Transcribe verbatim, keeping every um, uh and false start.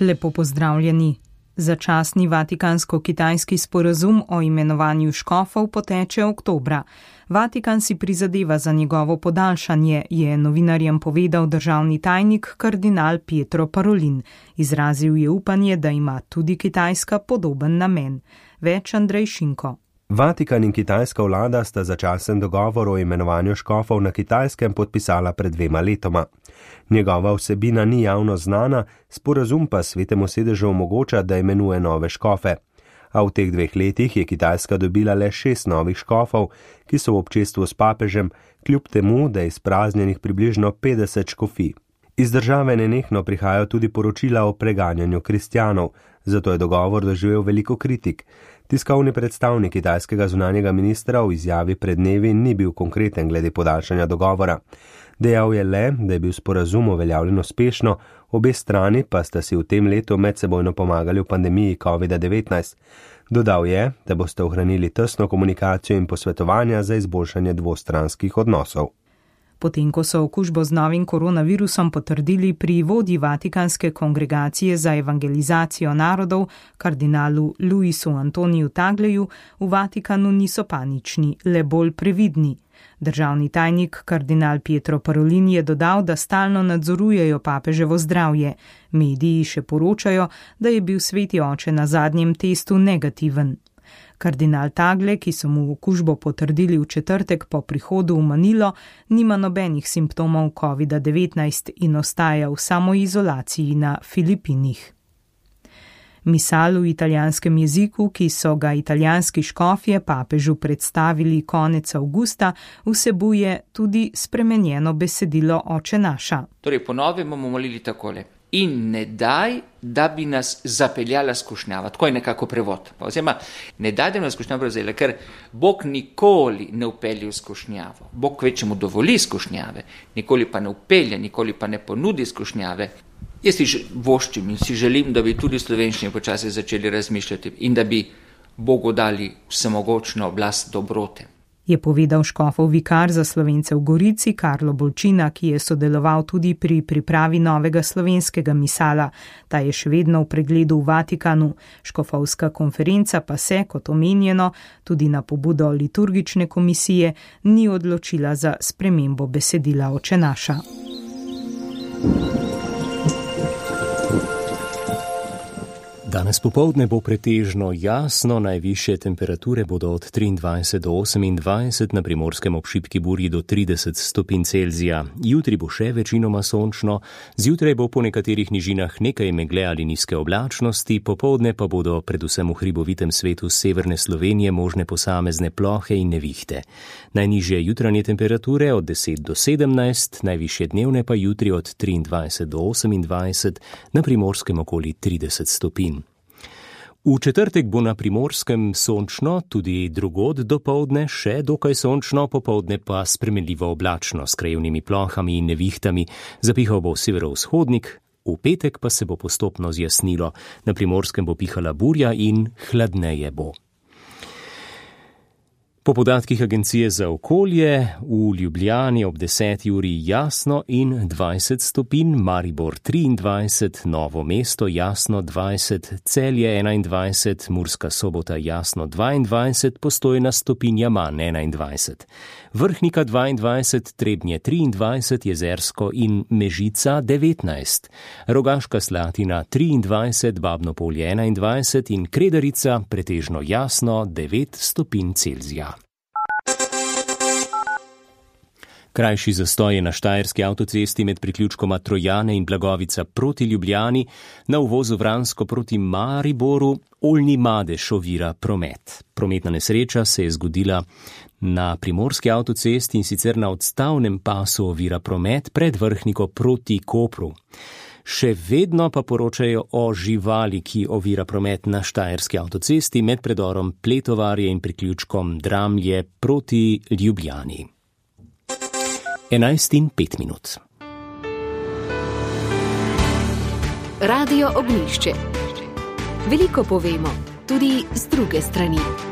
Lepo pozdravljeni. Začasni vatikansko-kitajski sporazum o imenovanju škofov poteče oktobra. Vatikan si prizadeva za njegovo podaljšanje, je novinarjem povedal državni tajnik kardinal Pietro Parolin. Izrazil je upanje, da ima tudi Kitajska podoben namen. Več Andrej Šinko. Vatikan in kitajska vlada sta začasen dogovor o imenovanju škofov na Kitajskem podpisala pred dvema letoma. Njegova vsebina ni javno znana, sporazum pa Svetemu sedežu omogoča, da imenuje nove škofe. A v teh dveh letih je Kitajska dobila le šest novih škofov, ki so v občestvu s papežem, kljub temu, da je izpraznjenih približno petdeset škofij. Iz države nenehno prihajajo tudi poročila o preganjanju kristjanov, zato je dogovor doživel veliko kritik. Tiskovni predstavnik kitajskega zunanjega ministra v izjavi pred dnevi ni bil konkreten glede podaljšanja dogovora. Dejal je le, da je bil sporazum uveljavljen uspešno, obe strani pa sta si v tem letu medsebojno pomagali v pandemiji kovida devetnajst. Dodal je, da boste ohranili tesno komunikacijo in posvetovanja za izboljšanje dvostranskih odnosov. Potem, ko so okužbo z novim koronavirusom potrdili pri vodji Vatikanske kongregacije za evangelizacijo narodov, kardinalu Luisu Antoniju Tagleju, v Vatikanu niso panični, le bolj previdni. Državni tajnik kardinal Pietro Parolin je dodal, da stalno nadzorujejo papeževo zdravje. Mediji še poročajo, da je bil sveti oče na zadnjem testu negativen. Kardinal Tagle, ki so mu okužbo potrdili v četrtek po prihodu v Manilo, nima nobenih simptomov kovida devetnajst in ostaja v samoizolaciji na Filipinih. Misal v italijanskem jeziku, ki so ga italijanski škofje papežu predstavili konec avgusta, vsebuje tudi spremenjeno besedilo Oče naša. Torej, ponovno bomo molili takole. In ne daj, da bi nas zapeljala skušnjava. Tako je nekako prevod. Oziroma, ne daj, da bi nas skušnjava prevzela, ker Bog nikoli ne upelje v skušnjavo. Bog kvečemu dovoli skušnjave, nikoli pa ne upelje, nikoli pa ne ponudi skušnjave. Jaz si voščim in si želim, da bi tudi v slovenščini počasi začeli razmišljati in da bi Bogu dali vsemogočno oblast dobrote. Je povedal škofov vikar za Slovence v Gorici Karlo Bolčina, ki je sodeloval tudi pri pripravi novega slovenskega misala. Ta je še vedno v pregledu v Vatikanu. Škofovska konferenca pa se, kot omenjeno, tudi na pobudo liturgične komisije, ni odločila za spremembo besedila Oče naša. Danes popoldne bo pretežno jasno, najvišje temperature bodo od triindvajset do osemindvajset, na Primorskem ob šibki burji do trideset stopinj Celzija. Jutri bo še večinoma sončno, zjutraj bo po nekaterih nižinah nekaj megle ali nizke oblačnosti, popoldne pa bodo predvsem v hribovitem svetu severne Slovenije možne posamezne plohe in nevihte. Najnižje jutranje temperature od deset do sedemnajst, najvišje dnevne pa jutri od triindvajset do osemindvajset, na Primorskem okoli trideset stopinj. V četrtek bo na Primorskem sončno, tudi drugod dopoldne še dokaj sončno, popoldne pa spremenljivo oblačno s krajevnimi plohami in nevihtami. Zapihal bo severovzhodnik, v petek pa se bo postopno zjasnilo. Na Primorskem bo pihala burja in hladneje bo. Po podatkih Agencije za okolje, v Ljubljani ob deseti uri jasno in dvajset stopinj, Maribor triindvajset, Novo mesto jasno dvajset, Celje enaindvajset, Murska Sobota jasno dvaindvajset, Postojna stopinja manj enaindvajset. Vrhnika dvaindvajset, Trebnje triindvajset, Jezersko in Mežica devetnajst, Rogaška Slatina triindvajset, Babno Polje enaindvajset in Kredarica pretežno jasno devet stopinj Celzija. Krajši zastoj je na štajerski avtocesti med priključkoma Trojane in Blagovica proti Ljubljani, na uvozu Vransko proti Mariboru oljni madež ovira promet. Prometna nesreča se je zgodila na primorski avtocesti in sicer na odstavnem pasu ovira promet pred Vrhniko proti Kopru. Še vedno pa poročajo o živali, ki ovira promet na štajerski avtocesti med predorom Pletovarje in priključkom Dramlje proti Ljubljani. enajst in pet minut. Radio Ognjišče. Veliko povemo, tudi z druge strani.